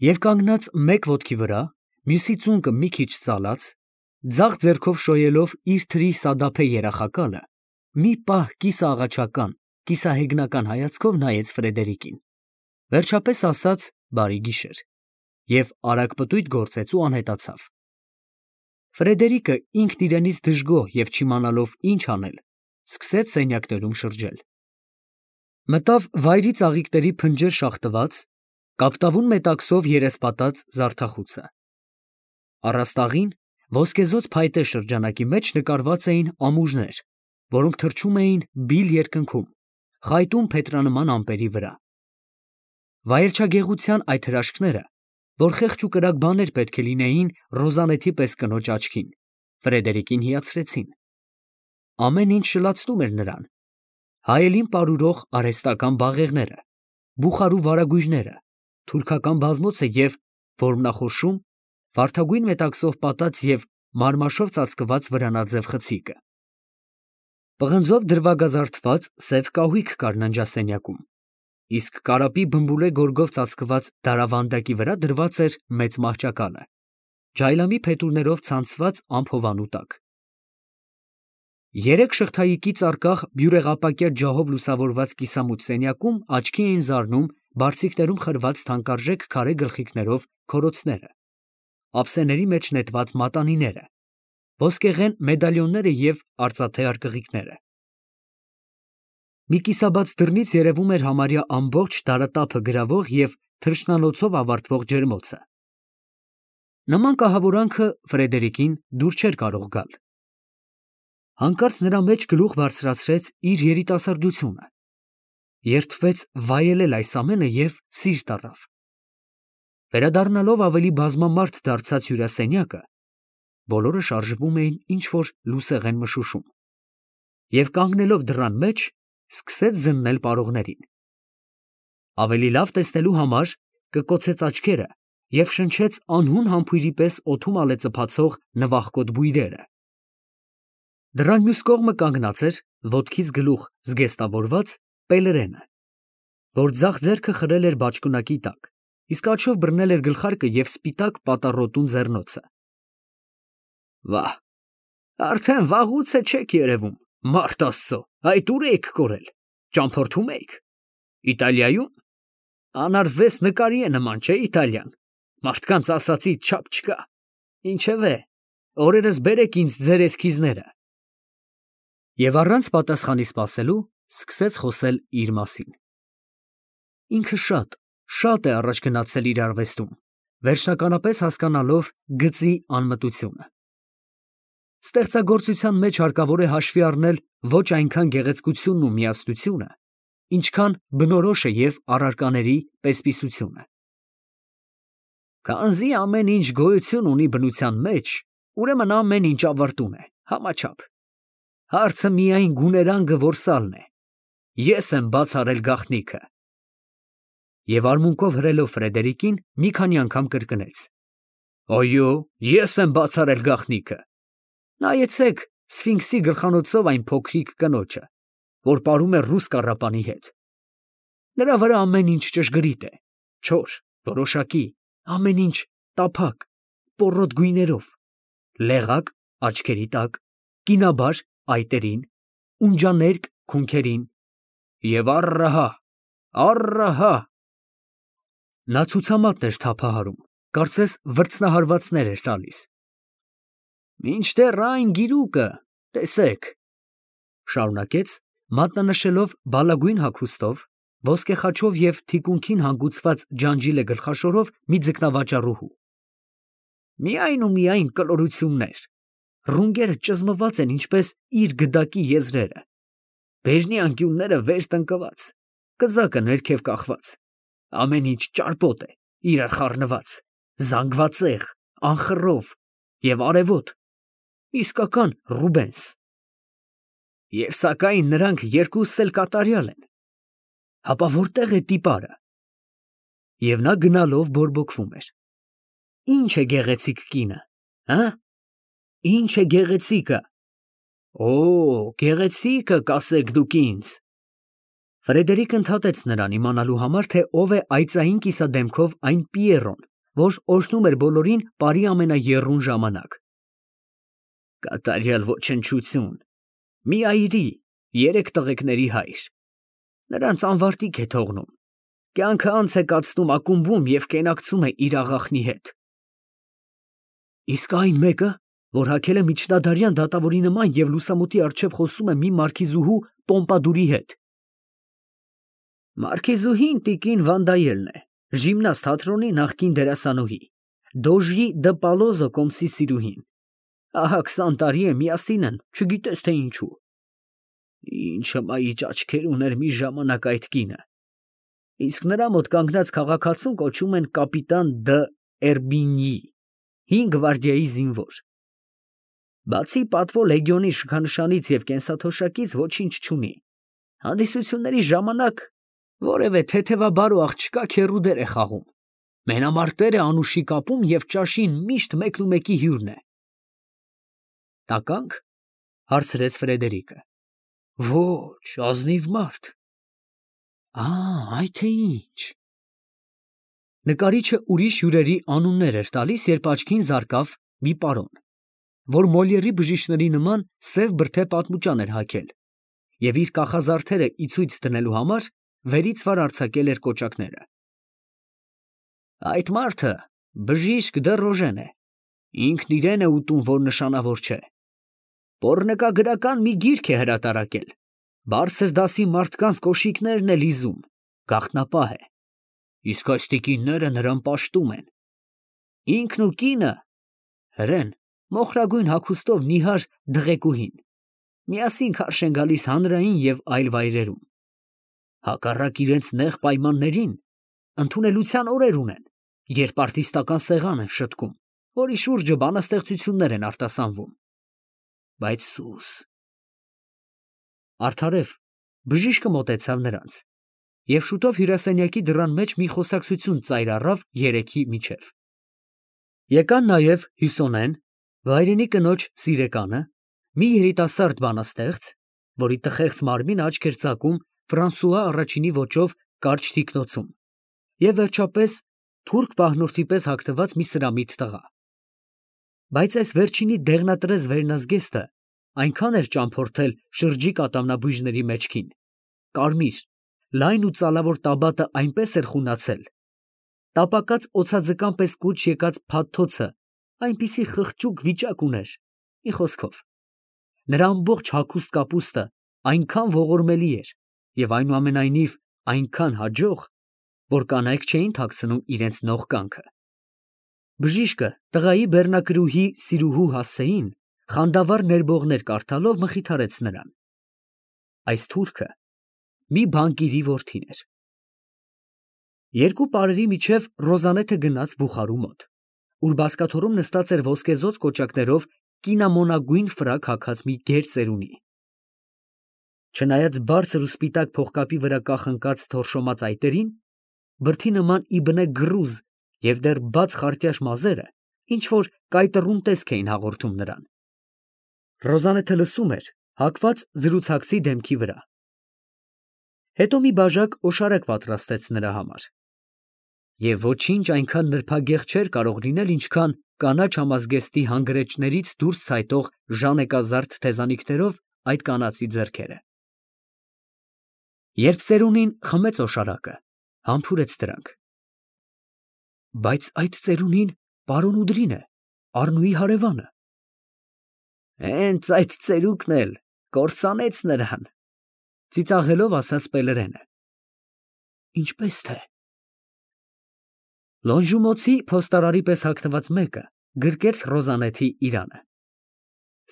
Եվ կանգնած մեկ ոտքի վրա, մյուսի ծունկը մի քիչ ծալած, ձախ ձեռքով շոյելով իր թրի սադափե երախակալը, մի պահ կիսաաղաչական, կիսահեգնական հայացքով նայեց Ֆրեդերիկին, վերջապես ասաց «բարի գիշեր» և արագ պտույտ գործեց ու անհետացավ։ Ֆրեդերիկը ինքն իրենից դժգոհ և չիմանալով ինչ անել, սկսեց սենյակներում շրջել։ Մտավ վայրի ծաղիկների փնջեր շաղտված, կապտավուն մետաքսով երեսպատած զարդախուցը։ Առաստաղին ոսկեզօծ փայտե շրջանակի մեջ նկարված էին ամուրներ, որոնք թռչում էին բիլ երկնքում, խայտուն փետրանման ամպերի վրա։ Վայելչագեղության այդ հրաշքները, որ խեղճ ու կրակ բաներ պետք է լինեին Ռոզանեթի պես կնոջ աչքին, Ֆրեդերիկին հիացրեցին։ Ամեն ինչ շլացնում էր նրան. հայելին պարուրող արհեստական բաղեղները, բուխարու վարագույրները, թուրքական բազմոցը և որմնախորշում, վարդագույն մետաքսով պատած և մարմաշով ծածկված վրանաձև խցիկը։ Պղնձով դրվագազարդված սև կահույք կար ննջասենյակում, իսկ կարապի բմբուլե գորգով ծածկված դարավանդակի վրա դրված էր մեծ մահճակալը, ջայլամի փետուրներով ցանցված ամփովանու տակ։ Երեք շղթայիկից առկախ բյուրեղապակյա ջահով լուսավորված կիսամութ սենյակում աչքի էին զարնում բարձիկներում խրված թանկարժեք քարե գլխիկներով քորոցները, ափսեների մեջ նետված մատանիները, ոսկեղեն մեդալյոնները և արծաթե արկղիկները։ Մի կիսաբաց դռնից երևում էր համարյա ամբողջ դարատափը գրավող և թռչնանոցով ավարտվող ջերմոցը։ Նման կահավորանքը Ֆրեդերիկին դուր չէր կարող գալ։ Հանկարծ նրա մեջ գլուխ բարձրացրեց իր երիտասարդությունը, երդվեց վայելել այս ամենը և սիրտ առավ։ Վերադառնալով ավելի բազմամարդ դարձած հյուրասենյակը, բոլորը շարժվում էին ինչ֊որ լուսեղեն մշուշում, և կանգնելով դռան մեջ, սկսեց զննել պարողներին։ Ավելի լավ տեսնելու համար կկոցեց աչքերը և շնչեց անհուն համբույրի պես օդում ալեծփացող նվախկոտ բույրերը։ Դռան մյուս կողմը կանգնած էր, ոտքից գլուխ զգեստավորված, Պելերենը, որ ձախ ձեռքը խրել էր բաճկոնակի տակ, իսկ աջով բռնել էր գլխարկը և սպիտակ պատառոտուն ձեռնոցը։ Վա՜, արդեն վաղուց է չեք երևում, մարդ Աստծո, այդ ուր էիք կորել, ճամփորդում էիք։ Իտալիայո՞ւմ։ Անարվես նկարի է նման, չէ՞ Իտալիան, մարդկանց ասածից չափ չկա։ Ինչևէ, օրերս բերեք ինձ ձեր էսքիզները։ Եվ առանց պատասխանի սպասելու, սկսեց խոսել իր մասին։ Ինքը շատ է առաջ գնացել իր արվեստում, վերջնականապես հասկանալով գծի անմտությունը։ Ստեղծագործության մեջ հարկավոր է հաշվի առնել ոչ այնքան գեղեցկությունն ու միասնությունը, ինչքան բնորոշը և առարկաների պես֊պիսությունը։ Քանզի ամեն ինչ գոյություն ունի բնության մեջ, ուրեմն ամեն ինչ ավարտուն է, համաչափ։ Հարցը միայն գուներանգը որսալն է։ Ես եմ բաց արել գաղտնիքը։ Եվ արմունկով հրելով Ֆրեդերիկին մի քանի անգամ կրկնեց. Այո, ես եմ բաց արել գաղտնիքը։ Նայեցեք Սֆինքսի գլխանոցով այն փոքրիկ կնոջը, որ պարում է ռուս կառապանի հետ։ Նրա վրա ամեն ինչ ճշգրիտ է, չոր, որոշակի, ամեն ինչ տափակ, պոռոտ գույներով, լեղակ աչքերի տակ, կինաբար այտերին, ունջաներկ քունքերին, և առահա։ Նա ցուցամատն էր թափահարում, կարծես վրձնահարվածներ էր տալիս։ Մինչդեռ այն գիրուկը, տեսեք, շարունակեց, մատնանշելով բալագույն հագուստով, ոսկե խաչով և թիկունքին հանգուցված ջանջիլե գլխաշորով մի ձկնավաճառուհու։ Միայն ու միայն կլորություններ, ռունգերը ճզմված են ինչպես իր գդակի եզրերը, բերնի անկյունները վեր տնկված, կզակը ներքև կախված, ամեն ինչ ճարպոտ է, իրար խառնված, զանգվածեղ, անխռով և արևոտ, իսկական Ռուբենս։ Եվ սակայն նրանք երկուստ էլ կատարյալ են։ Հապա որտե՞ղ է տիպարը։ Եվ նա գնալով բորբոքվում էր։ Ինչ է գեղեցիկ կինը, հը՞։ Ինչ է գեղեցիկը։ Օ, գեղեցիկը կասեք դուք ինձ։ Ֆրեդերիկը ընդհատեց նրան իմանալու համար, թե ով է այծային կիսադեմքով այն Պիերոն, որ օրհնում էր բոլորին բարի ամենաեռուն ժամանակ։ Կատարյալ ոչնչություն, մի այրի, 3 տղեկների հայր, նրանց անվարտիկ է թողնում, կյանքը անց է կացնում ակումբում և կենակցում է իր աղախնի հետ։ Իսկ այն մեկը, որ հագել է միջնադարյան դատավորի նման և լուսամուտի առջև խոսում է մի մարքիզուհու Պոմպադուրի հետ։ Մարքիզուհին տիկին Վանդայելն է, ժիմնաստ թատրոնի նախկին դերասանուհի, Դոժի դը Պալոզո կոմսի սիրուհին, ահա 20 տարի է միասին են, չգիտես թե ինչու։ Ինչ հմայիչ աչքեր ուներ մի ժամանակ այդ կինը, իսկ նրա մոտ կանգնած քաղաքացուն կոչում են կապիտան դը Էրբինյի, 5 գվարդիայի զինվոր։ Բացի պատվո լեգիոնի շքանշանից և կենսաթոշակից ոչինչ չունի, հանդիսությունների ժամանակ որևէ թեթևաբար ու աղջկա քեռու դեր է խաղում, մենամարտեր է անուշի կապում և ճաշին միշտ մեկնումեկի հյուրն է։ Տականք, հարցրեց Ֆրեդերիկը։ Ոչ, ազնիվ մարդ։ Այդ է ինչ։ Նկարիչը ուրիշ հյուրերի անուններ էր տալիս, երբ աչքին զարկավ մի պարոն, որ Մոլիերի բժիշկների նման սև բրդե պատմուճան էր հագել և իր կախազարդերը ի ցույց դնելու համար վերից վար արձակել էր կոճակները։ Այդ մարդը բժիշկ դը Ռոժեն է, ինքն իրեն է ուտում, որ նշանավոր չէ։ Պոռնկագրական մի գիրք է հրատարակել, բարձր դասի մարդկանց կոշիկներն է լիզում, գաղտնապահ է, իսկ այս տիկինները նրան պաշտում են։ Ինքն ու կինը հրեն, մոխրագույն հագուստով նիհար դղեկուհին, միասին քարշ են գալիս հանրային և այլ վայրերում։ Հակառակ իրենց նեղ պայմաններին, ընդունելության օրեր ունեն, երբ արտիստական սեղան են շտկում, որի շուրջը բանաստեղծություններ են արտասանվում։ Բայց սուս… Արդարև, բժիշկը մոտեցավ նրանց, և շուտով հյուրասենյակի դռան մեջ մի խոսակցություն ծայր առավ երեքի միջև։ Եկան նաև Հյուսոնեն, վայրենի կնոջ սիրեկանը, մի երիտասարդ բանաստեղծ, որի տխեղծ մարմինը աչք էր ծակում Ֆրանսուଆ առաջինի ոճով կարճ թիկնոցում, և վերջապես թուրք պահնորդի պես հագնված մի սրամիտ տղա։ Բայց այս վերջինի դեղնատրես վերնազգեստը այնքան էր ճամփորդել շրջիկ ատամնաբույժների մեջքին, կարմիր, լայն ու ծալավոր տաբատը այնպես էր խունացել, տապակած օձաձկան պես կուչ եկած փաթթոցը այնպիսի խղճուկ վիճակ ուներ, մի խոսքով, նրա ամբողջ հագուստ կապուստը այնքան ողորմելի էր և այնուամենայնիվ այնքան հաջող, որ կանայք չէին թաքցնում իրենց նողկանքը։ Բժիշկը տղայի բեռնակրուհի Սիրուհու Հասեին խանդավառ ներբողներ կարդալով մխիթարեց նրան։ Այս թուրքը մի բանկիրի որդին էր։ Երկու պարերի միջև Ռոզանեթը գնաց բուխարու մոտ, ուր բազկաթոռում նստած էր ոսկեզօծ կոճակներով կինամոնագույն ֆրակ հագած մի գեր ծերունի։ Չնայած բարձր ու սպիտակ փողկապի վրա կախնկած թորշոմած այտերին, բրդի նման իբնե գռուզ և դեռ բաց խարտյաշ մազերը ինչ֊որ կայտռուն տեսք էին հաղորդում նրան։ Ռոզանեթը լսում էր, հագված զրուցակցի դեմքի վրա։ Հետո մի բաժակ օշարակ պատրաստեց նրա համար։ Եվ ոչինչ այնքան նրբագեղ չէր կարող լինել, ինչքան կանաչ համազգեստի հանգրեջներից դուրս ցայտող ժանեկազարդ թեզանիքներով այդ կանացի ձեռքերը։ Երբ ծերունին խմեց օշարակը, համբուրեց դրանք։ Բայց այդ ծերունին պարոն Ուդրին է, Առնուի հարևանը։ Հենց այդ ծերուկն էլ կործանեց նրան, ծիծաղելով ասաց Պելերենը։ Ինչպես թե… Լոնժումոցի փոստարարի պես հագնված մեկը գրկեց Ռոզանեթի իրանը։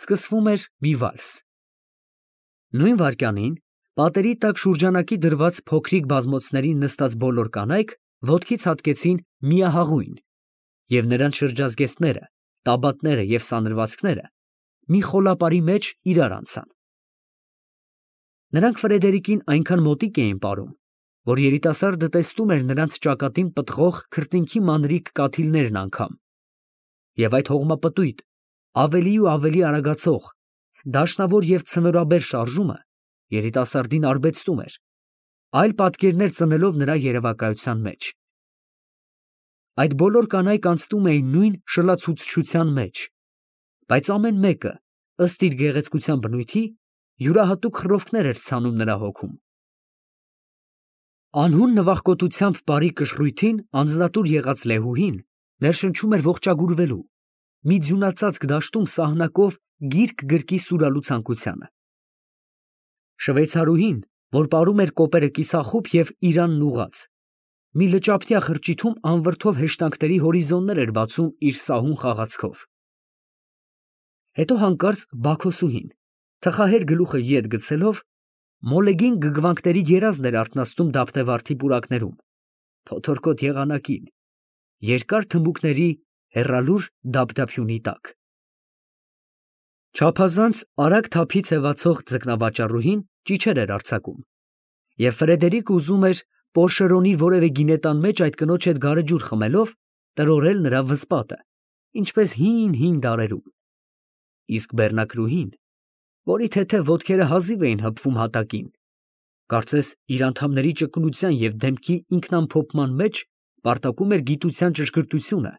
Սկսվում էր մի վալս։ Նույն վայրկյանին պատերի տակ շուրջանակի դրված փոքրիկ բազմոցներին նստած բոլոր կանայք ոտքի ցատկեցին միահաղույն, և նրանց շրջազգեստները, տաբատները և սանրվածքները մի խոլապարի մեջ իրար անցան։ Նրանք Ֆրեդերիկին այնքան մոտիկ էին ապարում, որ երիտասարդը տեսնում էր նրանց ճակատին պտղող քրտինքի մանրիկ կաթիլներն անգամ, և այդ հողմապտույտ, ավելի ու ավելի արագացող, դաշնավոր և ցնորաբեր շարժումը երիտասարդին արբեցնում էր, այլ պատկերներ ծնելով նրա երևակայության մեջ։ Այդ բոլոր կանայք անցնում էին նույն շլացուցչության մեջ, բայց ամեն մեկը, ըստ իր գեղեցկության բնույթի, յուրահատուկ խռովքներ էր ցանում նրա հոգում։ Անհուն նվախկոտությամբ բարի կշռույթին անձնատուր եղած Լեհուհին ներշնչում էր ողջագուրվելու, մի ձյունածածկ դաշտում սահնակով գիրք գրկի սուրալու ցանկությանը։ Շվեյցարուհին, որ պարում էր կոպերը կիսախուփ և իրանն ուղղած, մի լճափնյա խրճիթում անվրդով հեշտանքների հորիզոններ էր բացում իր սահուն խաղացքով։ Հետո հանկարծ Բաքոսուհին, թխահեր գլուխը ետ գցելով, մոլեգին գգվանքների երազն էր արթնացնում դափնեվարդի պուրակներում, փոթորկոտ եղանակին, երկար թմբուկների հեռալուր դափդափյունի տակ։ Չափազանց արագ թափի ցևացող ձկնավաճառուհին ճիչեր էր արձակում, և Ֆրեդերիկը ուզում էր Պորշերոնի որևէ գինետան մեջ այդ կնոջ հետ գարեջուր խմելով տրորել նրա վզպատը, ինչպես հին դարերում։ Իսկ բեռնակրուհին, որի թեթև ոտքերը հազիվ էին հպվում հատակին, կարծես իր անդամների ճկունության և դեմքի ինքնամփոփման մեջ պարտակում էր գիտության ճշգրտությունը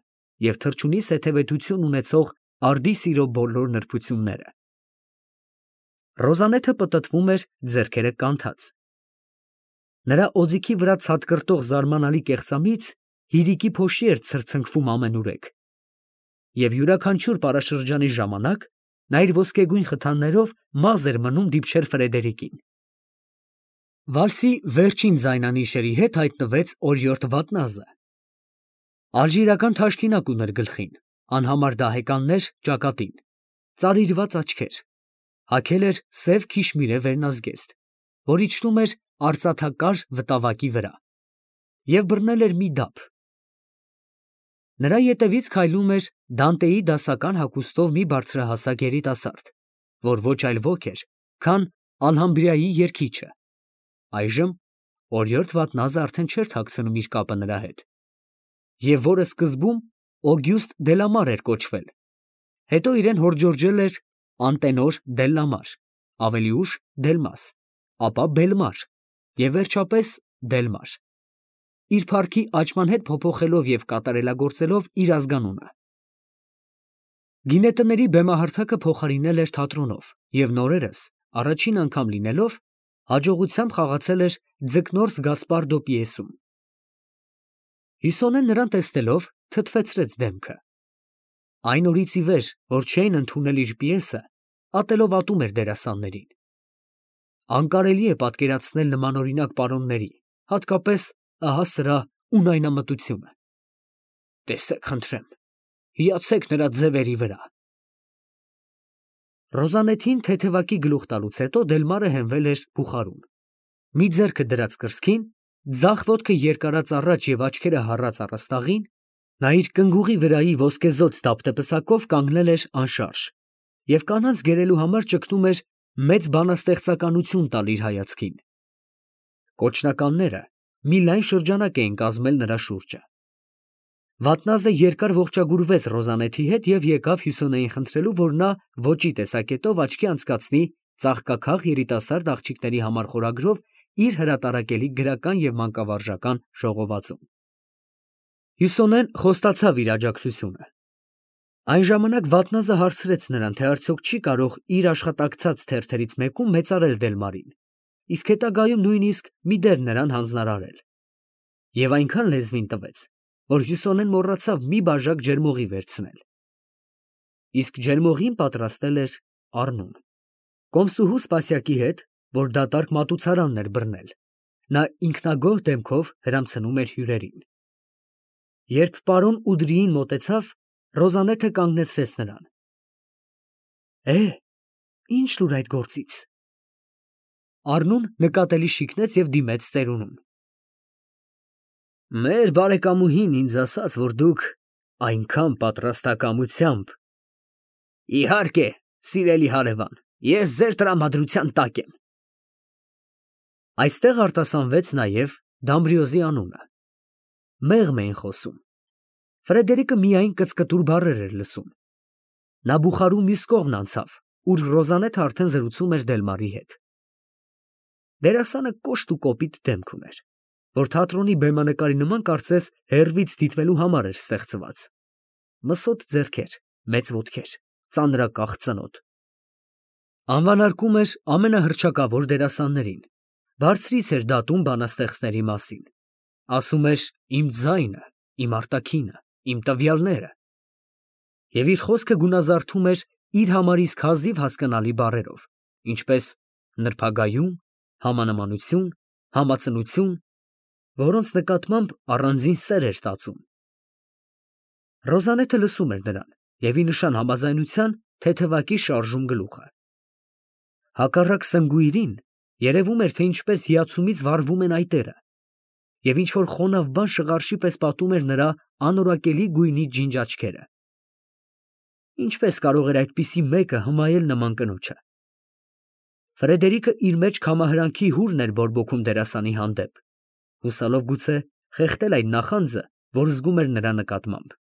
և թռչունի սեթևետություն ունեցող արդի սիրո բոլոր նրբությունները։ Ռոզանեթը պտտվում էր ձեռքերը կանթած։ Նրա օձիքի վրա ցատկրտող զարմանալի կեղծամից հիրիկի փոշի էր ցրցնկվում ամենուրեք, և յուրաքանչյուր պարաշրջանի ժամանակ նա իր ոսկեգույն խթաններով մազ էր մնում դիպչել Ֆրեդերիկին։ Վալսի վերջին ձայնանիշերի հետ հայտնվեց օրիորդ Վատնազը։ Ալժիրական թաշկինակ ուներ գլխին, անհամար դահեկաններ ճակատին, ծարիրված աչքեր, հագել էր սև քիշմիրե վերնազգեստ, որ իջնում էր արծաթակար վտավակի վրա, և բռնել էր մի դափ։ Նրա ետևից քայլում էր Դանտեի դասական հագուստով մի բարձրահասակ երիտասարդ, որ ոչ այլ ոք էր, քան Ալհամբրայի երգիչը։ Այժմ օրիորդ Վատնազը արդեն չէր թաքցնում իր կապը նրա հետ, և որը սկզբում Օգյուստը Դելամար էր կոչվել, հետո իրեն հորդորջել էր Անտենոր Դելլամար, ավելի ուշ Դելմաս, ապա Բելմար և վերջապես Դելմար, իր փառքի աճման հետ փոփոխելով և կատարելագործելով իր ազգանունը։ Գինետների բեմահարթակը փոխարինել էր թատրոնով և նորերս, առաջին անգամ լինելով, հաջողությամբ խաղացել էր Ձկնորս Գասպարդո պիեսում։ Հյուսոնեն նրան տեսնելով թթվեցրեց դեմքը։ Այն օրից ի վեր, որ չէին ընդունել իր պիեսը, ատելով ատում էր դերասաններին։ Անկարելի է պատկերացնել նմանօրինակ պարոնների, հատկապես ահա սրա ունայնամտությունը։ Տեսեք, խնդրեմ, հիացեք նրա ձևերի վրա։ Ռոզանեթին թեթևակի գլուխ տալուց հետո Դելմարը հենվել էր բուխարուն։ Մի ձեռքը դրած կրծքին, ձախ ոտքը երկարած առաջ և աչքերը հառած առաստաղին, նա իր կնգուղի վրայի ոսկեզօծ դափնեպսակով կանգնել էր անշարժ և կանանց գերելու համար ճգնում էր մեծ բանաստեղծականություն տալ իր հայացքին։ Կոչնականները մի լայն շրջանակ էին կազմել նրա շուրջը։ Վատնազը երկար ողջագուրվեց Ռոզանեթի հետ և եկավ Հյուսոնեին խնդրելու, որ նա ոճի տեսակետով աչքի անցկացնի ծաղկաքաղ երիտասարդ աղջիկների համար խորագրով իր հրատարակելի գրական և մանկավարժական ժողովածուն։ Հյուսոնեն խոստացավ իր աջակցությունը։ Այն ժամանակ Վատնազը հարցրեց նրան, թե արդյոք չի կարող իր աշխատակցած թերթերից մեկում մեծարել Դելմարին, իսկ հետագայում նույնիսկ մի դեր նրան հանձնարարել։ Եվ այնքան լեզվին տվեց, որ Հյուսոնեն մոռացավ մի բաժակ ջերմողի վերցնել։ Իսկ ջերմողին պատրաստել էր Առնուն։ Կոմսուհու Սպասյակի հետ, որ դատարկ մատուցարանն էր բռնել, նա ինքնագոհ դեմքով հրամցնում էր հյուրերին։ Երբ պարոն Ուդրիին մոտեցավ, Ռոզանեթը կանգնեցրեց նրան։ Ինչ լուր այդ գործից։ Առնուն նկատելի շիկնեց և դիմեց ծերունուն։ Մեր բարեկամուհին ինձ ասաց, որ դուք այնքան պատրաստակամությամբ… Իհարկե, սիրելի հարևան, ես ձեր տրամադրության տակ եմ։ Այստեղ արտասանվեց նաև Դամբրիոզի անունը։ Մեղմ էին խոսում։ Ֆրեդերիկը միայն կծկտուր բառեր էր լսում։ Նա բուխարու մյուս կողմն անցավ, ուր Ռոզանեթը արդեն զրուցում էր Դելմարի հետ։ Դերասանը կոշտ ու կոպիտ դեմք ուներ։ որ թատրոնի բեմանկարի նման կարծես հեռվից դիտվելու համար էր ստեղծված. մսոտ ձեռքեր, մեծ ոտքեր, ծանրակախ ծնոտ։ Անվանարկում էր ամենահռչակավոր դերասաններին, բարձրից էր դատում բանաստեղծների մասին, ասում էր իմ ձայնը, իմ արտաքինը, իմ տվյալները, և իր խոսքը գունազարդում էր իր համար իսկ հազիվ հասկանալի բառերով, ինչպես նրբագայում, համանմանություն, համածնություն, որոնց նկատմամբ առանձին սեր էր տածում։ Ռոզանեթը լսում էր նրան և ի նշան համաձայնության թեթևակի շարժում գլուխը։ Հակառակ սնգույրին երևում էր, թե ինչպես հիացումից վառվում են այտերը, և ինչ֊որ խոնավ բան շղարշի պես պատում էր նրա անորակելի գույնի ջինջ աչքերը։ Ինչպես կարող էր այդպիսի մեկը հմայել նման կնոջը։ Ֆրեդերիկը իր մեջ քամահրանքի հուրն էր բորբոքում դերասանի հանդեպ, հուսալով գուցե խեղդել այդ նախանձը, որ զգում էր նրա նկատմամբ։